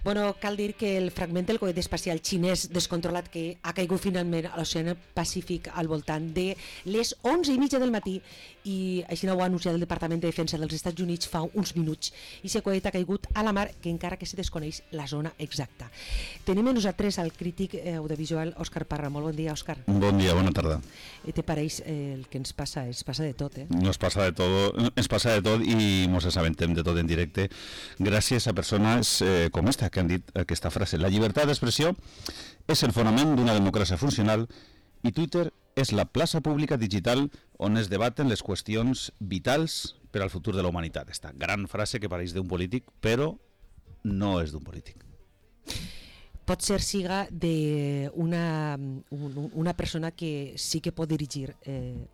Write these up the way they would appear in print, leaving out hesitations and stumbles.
Bueno, cal dir que el fragment del coet espacial xinès descontrolat que ha caigut finalment a l'Oceà Pacífic al voltant de les 11:30 del matí, i així ho ha anunciat el Departament de Defensa dels Estats Units fa uns minuts, i aquest coet ha caigut a la mar, que encara que se desconeix la zona exacta. Tenim a nosaltres al crític audiovisual Òscar Parra. Molt bon dia, Òscar. Bon dia, bona tarda. Te pareix el que ens passa? Es passa de tot, Nos pasa de todo, ens passa de tot i ens assabentem de tot en directe gràcies a persones com esta que han dit aquesta frase. La llibertat d'expressió és el fonament d'una democràcia funcional i Twitter és la plaça pública digital on es debaten les qüestions vitals per al futur de la humanitat. Esta gran frase que pareix d'un polític, però no és d'un polític. Pot ser siga d'una una persona que sí que pot dirigir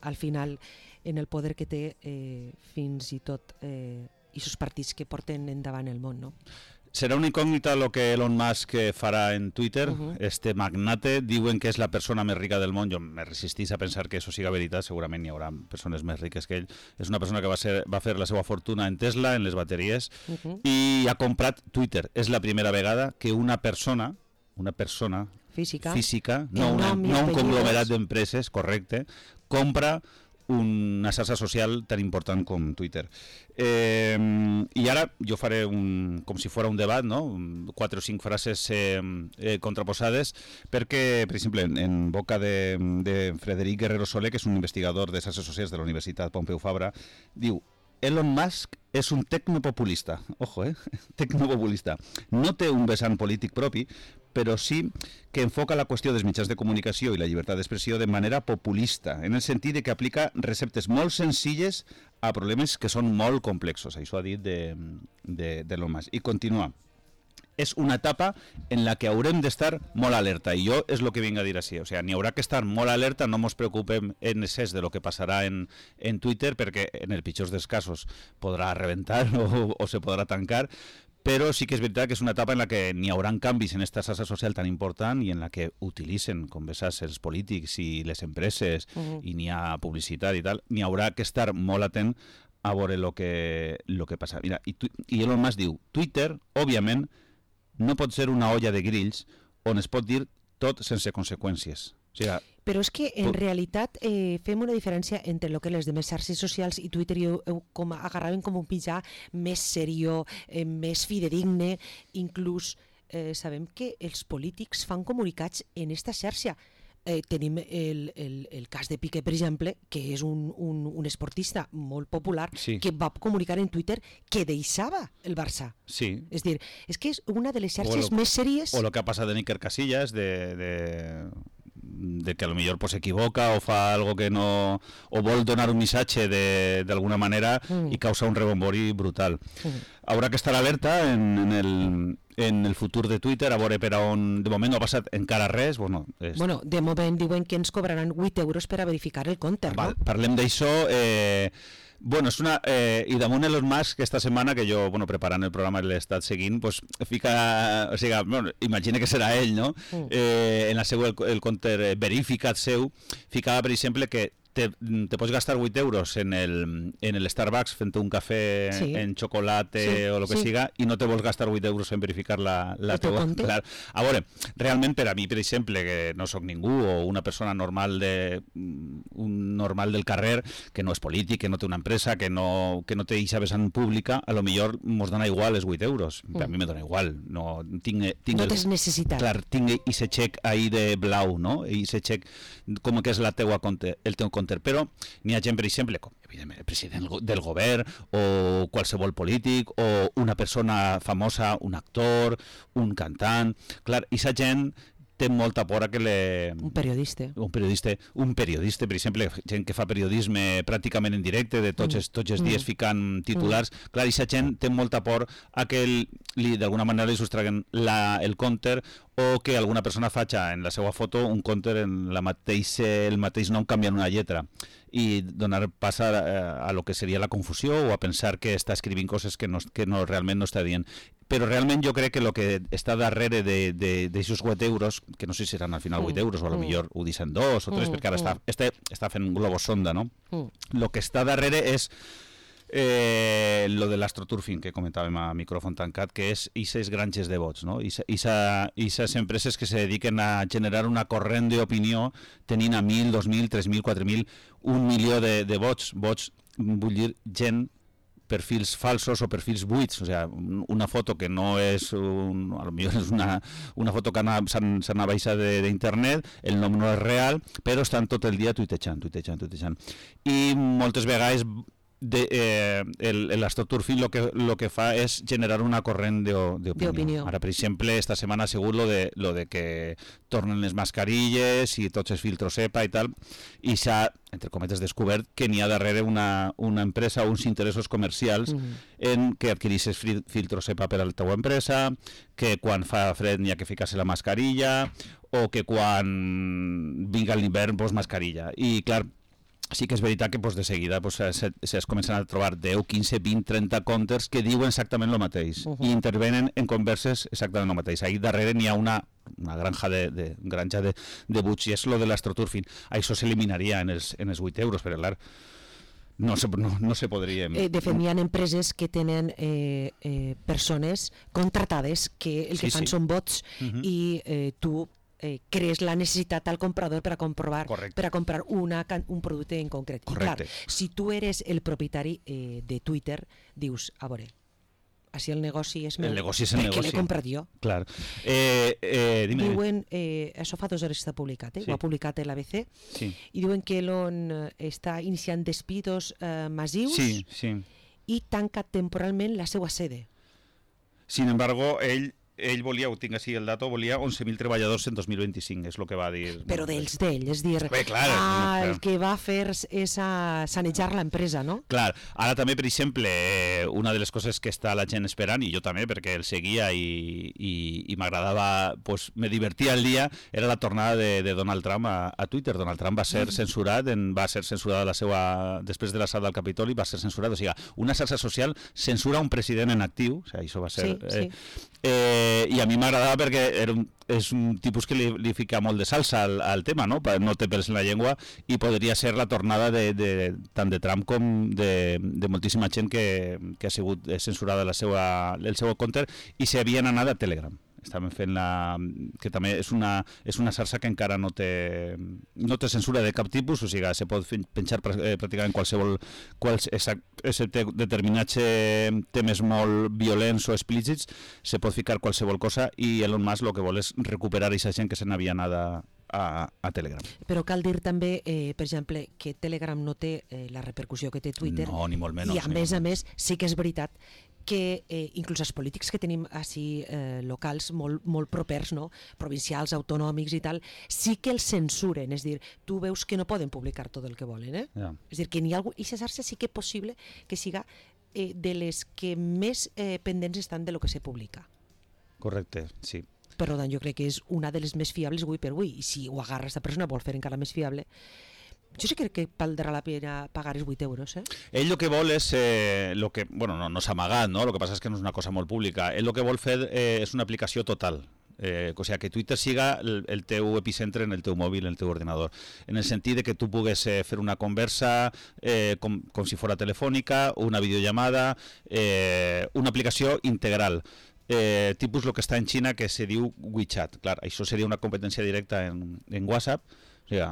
al final en el poder que té fins i tot i sus partits que porten endavant el món, no? Serà una incògnita el que Elon Musk farà en Twitter. Este magnate diuen que és la persona més rica del món. Jo me resistís a pensar que això siga veritat. Segurament hi haurà persones més riques que ell. És una persona que va fer la seva fortuna en Tesla, en les bateries, i ha comprat Twitter. És la primera vegada que una persona física, no un conglomerat d'empreses, correcte, compra una xarxa social tan important com Twitter. I ara jo faré com si fos un debat, no? 4 o 5 frases contraposades, perquè, per exemple, en boca de Frederic Guerrero Soler, que és un investigador de xarxes socials de la Universitat Pompeu Fabra, diu: Elon Musk és un tecnopopulista. Ojo, tecnopopulista. No té un vessant polític propi, però sí que enfoca la qüestió dels mitjans de comunicació i la llibertat d'expressió de manera populista, en el sentit que aplica receptes molt senzilles a problemes que són molt complexos. Això ha dit d'Elon Musk. I continua. És una etapa en la que haurem d'estar molt alerta, i jo és el que vinc a dir així. O sigui, n'hi haurà que estar molt alerta, no ens preocupem en excés de lo que passarà en Twitter, perquè en el pitjor dels casos podrà rebentar o se podrà tancar, però sí que és veritat que és una etapa en la que n'hi haurà canvis en aquesta xarxa social tan important i en la que utilitzen, com bé saps, els polítics i les empreses, i n'hi ha publicitat i tal, n'hi haurà que estar molt atent a veure el que passa. Mira, i Elon Musk diu: Twitter, òbviament, no pot ser una olla de grills on es pot dir tot sense conseqüències. O sigui, però és que en realitat fem una diferència entre el que les demés xarxes socials i Twitter agarraven com un mitjà més seriós, més fidedigne. Inclús sabem que els polítics fan comunicats en esta xarxa. Tenim el cas de Piqué, per exemple, que és un esportista molt popular, que va comunicar en Twitter que deixava el Barça. Sí. És dir, és que és una de les xarxes més sèries. O el que ha passat en Iker Casillas, de que a lo millor s'equivoca o fa algo que no, o vol donar un missatge d'alguna manera i causa un rebombori brutal. Haurà que estar alerta en el futur de Twitter, a veure per on. De moment no ha passat encara res. Bueno, de moment diuen que ens cobraran 8 euros per a verificar el compte, no? Parlem d'això. Bueno, és una... I damunt Elon Musk, aquesta setmana, que jo, preparant el programa l'he estat seguint, pues fica... O sigui, imagina que serà ell, no? En la seva, el compte verificat seu, ficava, per exemple, que te pots gastar 8 euros en el Starbucks fent un cafè en xocolate o el que siga, i no te vols gastar 8 euros en verificar la teva... Clar. A veure, realment per a mi, per exemple, que no sóc ningú, o una persona normal del carrer, que no és polític, que no té una empresa, que no té eixa vessant pública, a lo millor mos dona igual els 8 euros. A mi me dona igual. No tens necessitat. Clar, tinc eixe xec ahí de blau, no? Eixe xec com que és el teu compte. Però n'hi ha gent, per exemple, com evidentment el president del govern o qualsevol polític o una persona famosa, un actor, un cantant. Clar, aquesta gent té molta por a que un periodista, per exemple, gent que fa periodisme pràcticament en directe, de tots els dies ficant titulars. Clar, aquesta gent té molta por a que d'alguna manera li sostraguen el compte, o que alguna persona faci en la seva foto un compte en el mateix nom canviant una lletra, i donar pas a lo que seria la confusió o a pensar que està escrivint coses que realment no està dient. Però realment jo crec que el que està darrere d'aixòs 8 euros, que no sé si seran al final 8 euros, o a lo millor ho deixen 2 o 3, perquè ara està fent un globus sonda, no? El que està darrere és lo de l'astroturfing que comentàvem a micròfon tancat, que és aquestes granges de vots, no? Aquestes empreses que se dediquen a generar una corrent d'opinió tenint a 1.000, 2.000, 3.000, 4.000, 1 milió de vots. Vots, vull dir, gent, perfils falsos o perfils buits, o sea, una foto que no és a lo millor és una foto que s'ha baixat d'internet, el nom no és real, però estan tot el dia tuitejant. I moltes vegades l'astroturfing lo que fa és generar una corrent d'opinió. Ara, per exemple, esta setmana ha sigut lo de que tornen les mascarilles i tots els filtros EPA i tal, i s'ha, entre cometes, descobert que n'hi ha darrere una empresa o uns interessos comercials en que adquireixes filtros EPA per a la teva empresa, que quan fa fred n'hi ha que ficar-se la mascarilla, o que quan vinga l'hivern, pues mascarilla. I, clar, sí que és veritat que de seguida es comencen a trobar 10, 15, 20, 30 comptes que diuen exactament el mateix i intervenen en converses exactament el mateix. Ahí darrere n'hi ha una granja de buts, i és lo de l'astroturfing. Això s'eliminaria en els 8 euros, però clar, no se podria... De fet, hi ha empreses que tenen persones contratades que el que fan són bots i tu crees la necessitat al comprador per a comprar un producte en concret. Correcte. I clar, si tu eres el propietari de Twitter, dius, a veure, així el negoci és meu, perquè l'he comprat jo. Clar. Diuen, això fa 2 hores que està publicat, ho ha publicat l'ABC, i diuen que l'on està iniciant despidos massius i tanca temporalment la seva sede. Sin embargo, ell volia, ho tinc així el dato, volia 11.000 treballadors en 2025, és el que va dir. Però d'ell, és dir, el que va fer és sanejar l'empresa, no? Clar, ara també, per exemple, una de les coses que està la gent esperant, i jo també, perquè el seguia i m'agradava, me divertia el dia, era la tornada de Donald Trump a Twitter. Donald Trump va ser censurat, després de l'assalt del Capitoli, va ser censurat, o sigui, una xarxa social censura un president en actiu, o sigui, això va ser... i a mi m'agradava perquè és un tipus que li fica molt de salsa al tema, no té pèls en la llengua, i podria ser la tornada tant de Trump com de moltíssima gent que ha sigut censurada el seu compte i s'havien anat a Telegram. Estaven fent que també és una xarxa que encara no té censura de cap tipus, o sigui, se pot penjar pràcticament qualsevol, excepte determinats temes molt violents o explícits, se pot ficar qualsevol cosa, i Elon Musk el que vol és recuperar aquesta gent que se n'havia anat a Telegram. Però cal dir també, per exemple, que Telegram no té la repercussió que té Twitter. No, ni molt menys. I a més, sí que és veritat que inclús els polítics que tenim així locals, molt propers, no? Provincials, autonòmics i tal, sí que els censuren, és dir, tu veus que no poden publicar tot el que volen, És dir, que n'hi ha algú, i aquesta xarxa sí que és possible que siga de les que més pendents estan de lo que se publica. Correcte, sí. Per tant, jo crec que és una de les més fiables avui per avui, i si ho agarra aquesta persona vol fer encara més fiable, jo sí crec que valdrà la pena pagar els 8 euros. Ell el que vol és, no s'ha amagat, no? El que passa és que no és una cosa molt pública. Ell el que vol fer és una aplicació total. O sigui, que Twitter siga el teu epicentre en el teu mòbil, en el teu ordenador, en el sentit de que tu pugues fer una conversa com si fora telefònica, una videollamada, una aplicació integral. Tipus el que està en Xina, que se diu WeChat. Clar, això seria una competència directa en WhatsApp. O sigui,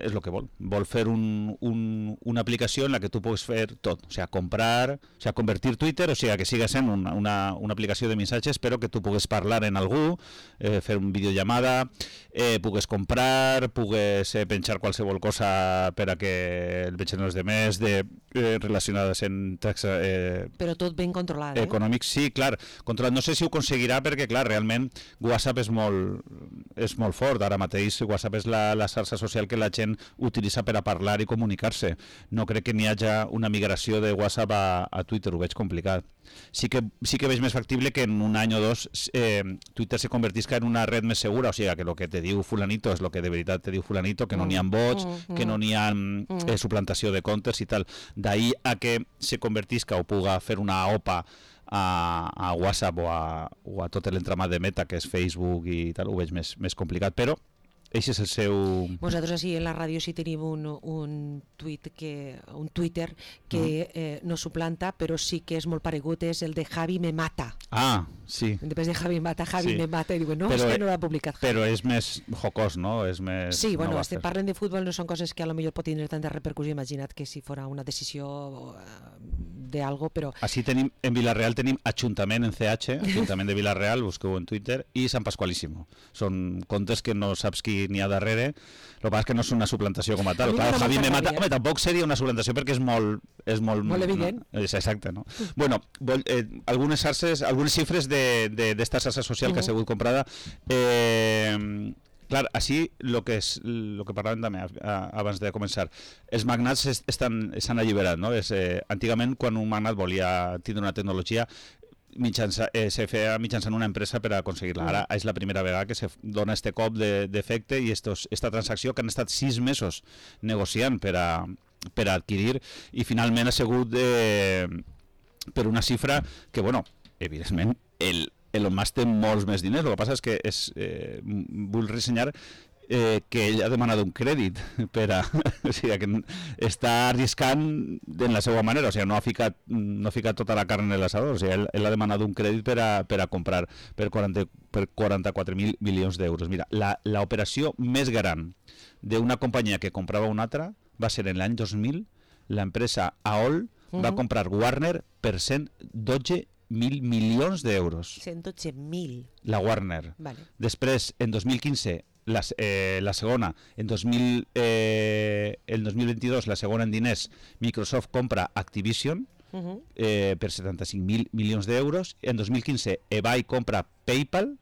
és el que vol. Vol fer una aplicació en la que tu puguis fer tot. O sigui, comprar, convertir Twitter, o sigui, que siga sent una aplicació de missatges, però que tu pugues parlar en algú, fer una videollamada, pugues comprar, pugues penjar qualsevol cosa per a que el vegin els demés, relacionades en taxa... Però tot ben controlat, econòmics, sí, clar. Controlat. No sé si ho aconseguirà perquè, clar, realment WhatsApp és molt fort. Ara mateix WhatsApp és la xarxa social que la gent utilitza per a parlar i comunicar-se. No crec que n'hi hagi una migració de WhatsApp a Twitter, ho veig complicat. Sí que veig més factible que en un any o dos Twitter se convertisca en una red més segura, o sigui, que el que te diu fulanito és el que de veritat te diu fulanito, que no n'hi ha bots, que no n'hi ha suplantació de comptes i tal. D'ahí a que se convertisca o puga fer una OPA a WhatsApp o a tot l'entramat de Meta, que és Facebook i tal, ho veig més complicat, però Eixe és el seu... Nosaltres així en la ràdio sí tenim un Twitter que no suplanta, però sí que és molt paregut, és el de Javi me mata. Ah, sí. En vez de Javi mata, Javi Sí. me mata. I diuen, no, Però, és que no l'ha publicat Javi. Però és més jocós, no? És més... Sí, bueno, no parlen de futbol, no són coses que a lo millor pot tenir tanta repercussió. Imagina't que si fora una decisió de algo, però... Així tenim, en Vilareal tenim Ajuntament en CH, Ajuntament de Vilareal, busqueu en Twitter, i Sant Pasqualísimo. Són comptes que no saps qui n'hi ha darrere, el que passa és que no és una suplantació com a tal. Clar, Javi me mata, home, tampoc seria una suplantació perquè és molt evident. No, és exacte, no? Bueno, algunes xifres d'esta xarxa social que ha sigut comprada. Clar, així el que parlàvem també abans de començar, els magnats s'han alliberat, no? Antigament, quan un magnat volia tindre una tecnologia, se feia mitjançant una empresa per aconseguir-la. Ara és la primera vegada que se dona este cop d'efecte i esta transacció que han estat 6 mesos negociant per a adquirir, i finalment ha sigut per una xifra que, bueno, evidentment Elon Musk té molts més diners. El que passa és que vull ressenyar que ell ha demanat un crèdit o sigui, que està arriscant de la seva manera, o sigui, no ha ficat tota la carn en l'assador, o sigui, ell ha demanat un crèdit per a comprar per 44.000 milions d'euros. Mira, l'operació més gran d'una companyia que comprava una altra va ser en l'any 2000, l'empresa AOL va comprar Warner per 112.000 milions d'euros. 112.000. La Warner. Vale. Després, en 2015, la segona, el 2022, la segona en diners, Microsoft compra Activision per 75.000 milions d'euros. En 2015, eBay compra PayPal,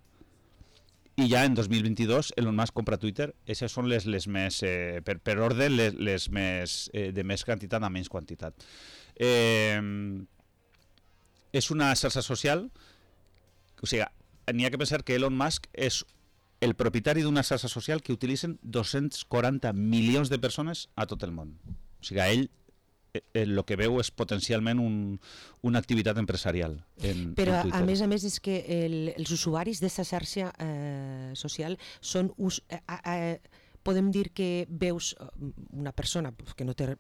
i ja en 2022 Elon Musk compra Twitter. Aquestes són les més, per ordre, les més de més quantitat a menys quantitat. És una xarxa social, o sigui, n'hi ha que pensar que Elon Musk és el propietari d'una xarxa social que utilitzen 240 milions de persones a tot el món. O sigui, ell el que veu és potencialment una activitat empresarial en Però Twitter. a més és que els usuaris d'aquesta xarxa social són podem dir que veus una persona que no té,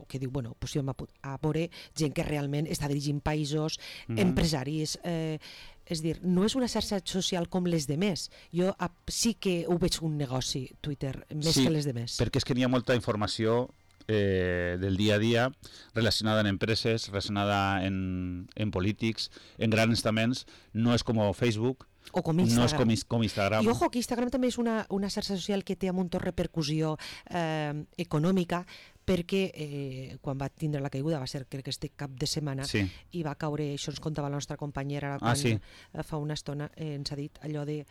que diu, bueno, pues a veure gent que realment està dirigint països, empresaris, és dir, no és una xarxa social com les demés. Jo sí que ho veig un negoci, Twitter, més que les demés. Sí, perquè és que n'hi ha molta informació del dia a dia relacionada en empreses, relacionada en polítics, en grans estaments. No és com Facebook, o com Instagram. No és com Instagram. I ojo, que Instagram també és una xarxa social que té un munt de repercussió econòmica, perquè quan va tindre la caiguda, va ser crec que este cap de setmana, i va caure, això ens contava la nostra companyera quan fa una estona ens ha dit allò de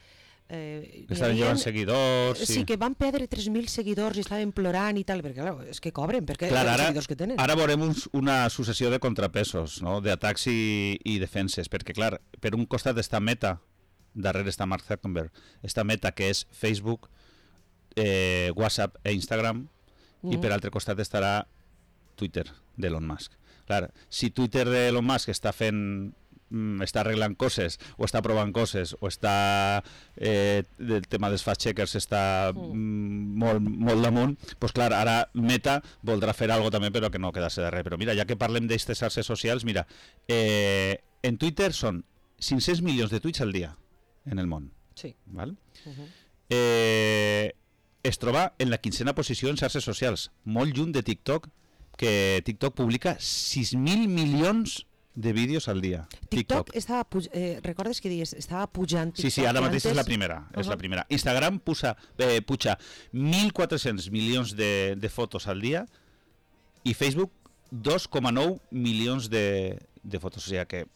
estaven llevant seguidors. Sí, que van perdre 3.000 seguidors i estaven plorant i tal, perquè clar, és que cobren, perquè els seguidors que tenen. Ara veurem una successió de contrapesos, no? D'atacs i defenses, perquè clar, per un costat està Meta, darrere està Mark Zuckerberg, està Meta, que és Facebook, WhatsApp e Instagram, i per altre costat estarà Twitter d'Elon Musk. Clar, si Twitter d'Elon Musk està arreglant coses, o està provant coses, o està el tema dels fact-checkers està molt damunt, doncs clar, ara Meta voldrà fer alguna cosa també, però que no quedar-se darrere. Però mira, ja que parlem d'aquestes xarxes socials, mira, en Twitter són 500 milions de tuits al dia en el món. Sí. Val? Es troba en la 15ª posició en xarxes socials, molt lluny de TikTok, que TikTok publica 6.000 milions de vídeos al dia. TikTok estava recordes que dies, estava pujant TikTok? Sí, ara mateix és la primera. És la primera. Instagram puja 1.400 milions de fotos al dia i Facebook 2,9 milions de fotos. O sigui que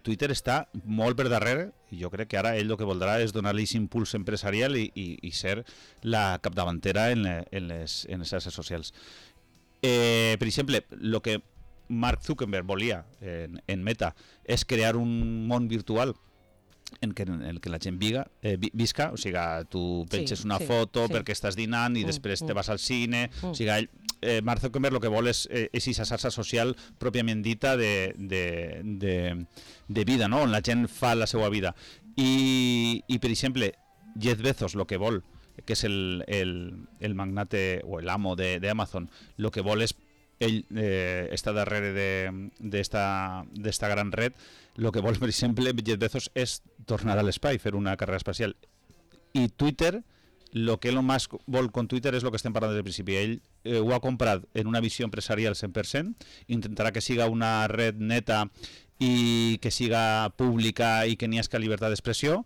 Twitter està molt per darrere i jo crec que ara ell el que voldrà és donar-li aquest impuls empresarial i ser la capdavantera en les xarxes socials. Per exemple, el que Mark Zuckerberg volia en Meta és crear un món virtual en què la gent visca, o sigui, tu penges una foto perquè estàs dinant i després te vas al cine, o sigui, Mark Zuckerberg el que vol és aquesta xarxa social pròpiament dita de vida, no? On la gent fa la seva vida. I per exemple, Jeff Bezos el que vol que és el magnate o l'amo d'Amazon, el que vol és ell està darrere d'esta gran red, el que vol, per exemple, Jeff Bezos és tornar a l'espai, fer una carrera espacial. I Twitter, el que Elon Musk vol con Twitter és el que estem parlant des del principi. Ell ho ha comprat en una visió empresarial 100%, intentarà que siga una red neta i que siga pública i que n'hi hagi llibertat d'expressió,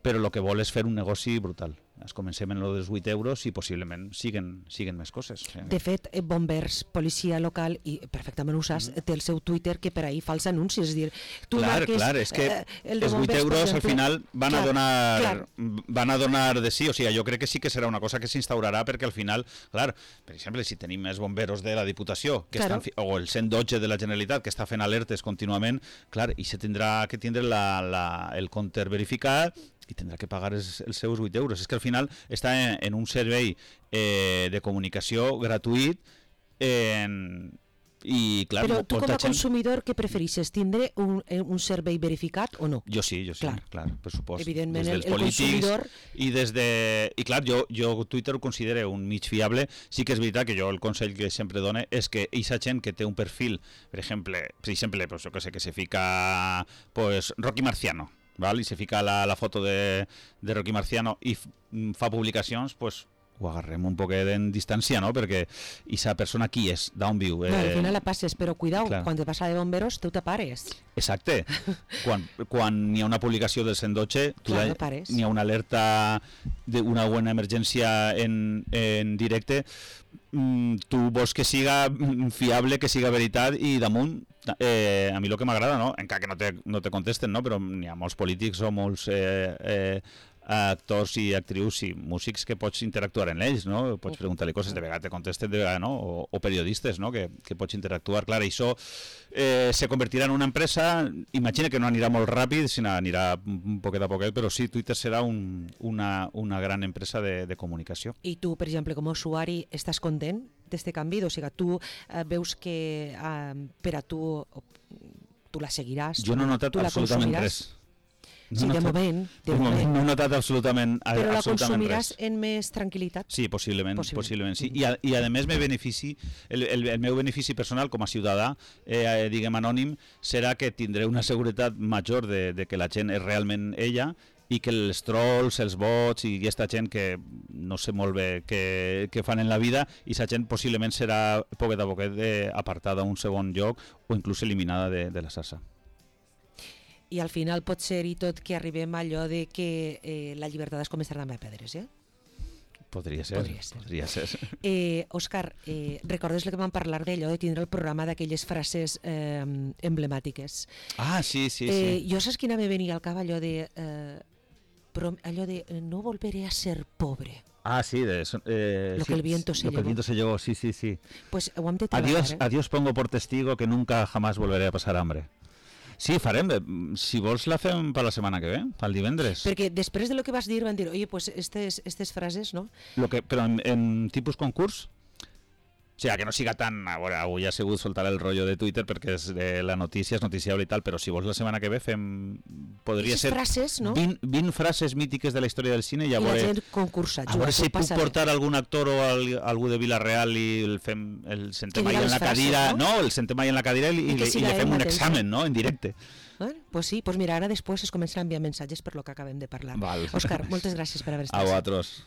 però el que vol és fer un negoci brutal. Comencem en lo dels 8 euros i possiblement siguen més coses. De fet, Bombers, policia local, i perfectament ho saps, té el seu Twitter que per ahí fa els anuncis. És dir, tu marques... Clar, és que els 8 euros al final van a donar de sí. O sigui, jo crec que sí que serà una cosa que s'instaurarà perquè al final, clar, per exemple, si tenim més bomberos de la Diputació o el 112 de la Generalitat que està fent alertes contínuament, clar, i se tindrà que tindre el compte verificat i tindrà que pagar els seus 8 euros. És que al final està en un servei de comunicació gratuït i clar... Però tu com a consumidor què preferixes? Tindre un servei verificat o no? Jo sí, clar, per supost. Evidentment, el consumidor... I clar, jo Twitter ho considero un mig fiable. Sí que és veritat que jo el consell que sempre dono és que aquesta gent que té un perfil, per exemple, pues, jo que sé, que se fica Rocky Marciano, ¿vale? I se fica la foto de Rocky Marciano i fa publicacions, pues ho agarrem un poquet en distància, no? Perquè aquesta persona qui és, d'on viu? No, al final la passes, però cuidao, quan te passa de bomberos, tu te pares. Exacte. Quan n'hi ha una publicació del 112, n'hi ha una alerta d'una bona emergència en directe, tu vols que siga fiable, que siga veritat, i damunt a mi el que m'agrada, no? Encara que no te contesten, no? Però n'hi ha molts polítics o molts actors i actrius i músics que pots interactuar en ells, no? Pots preguntar-li coses, de vegades te contesten, de vegades no, o periodistes, no? Que pots interactuar. Clar, això se convertirà en una empresa, imagina que no anirà molt ràpid, sinó anirà poquet a poquet, però sí, Twitter serà una gran empresa de comunicació. I tu, per exemple, com a usuari, estàs content d'este canvi? O sigui, tu veus que per a tu la seguiràs? Jo no he notat absolutament res. Sí, de moment. No he notat absolutament res. Però la consumiràs en més tranquil·litat? Sí, possiblement sí. I a més, el meu benefici personal com a ciutadà, diguem anònim, serà que tindré una seguretat major de que la gent és realment ella i que els trolls, els bots i aquesta gent que no sé molt bé què fan en la vida, i aquesta gent possiblement serà poquet a poquet apartada a un segon lloc o inclús eliminada de la xarxa. I al final pot ser i tot que arribem a allò de que la llibertat es començarà amb pedres, eh? Podria ser. Òscar, recordes el que vam parlar d'allò de tindre el programa d'aquelles frases emblemàtiques? Ah, sí. Jo saps quina me venia al cap allò de no volveré a ser pobre. Ah, sí, lo que el viento se llevó. Lo que el viento se llevó, sí. Pues ho hem de treballar. Adiós pongo por testigo que nunca jamás volveré a pasar hambre. Sí, farem. Si vols la fem per la setmana que ve, pel divendres. Perquè després de lo que vas dir van dir, oye, pues estes frases, no? Però en tipus concurs? O sigui, que no siga tan... A veure, avui ha sigut soltar el rotllo de Twitter perquè la notícia és noticiable i tal, però si vols la setmana que ve podria ser frases, no? 20 frases mítiques de la història del cine i a veure... I la gent concursa. A veure si puc portar algun actor o algú de Vila-real i el sentem ahí en la cadira... No, el sentem ahí en la cadira i le fem un examen, no?, en directe. Pues sí, pues mira, ara després es comencen a enviar missatges per lo que acabem de parlar. Òscar, moltes gràcies per haver estat. A vosaltres.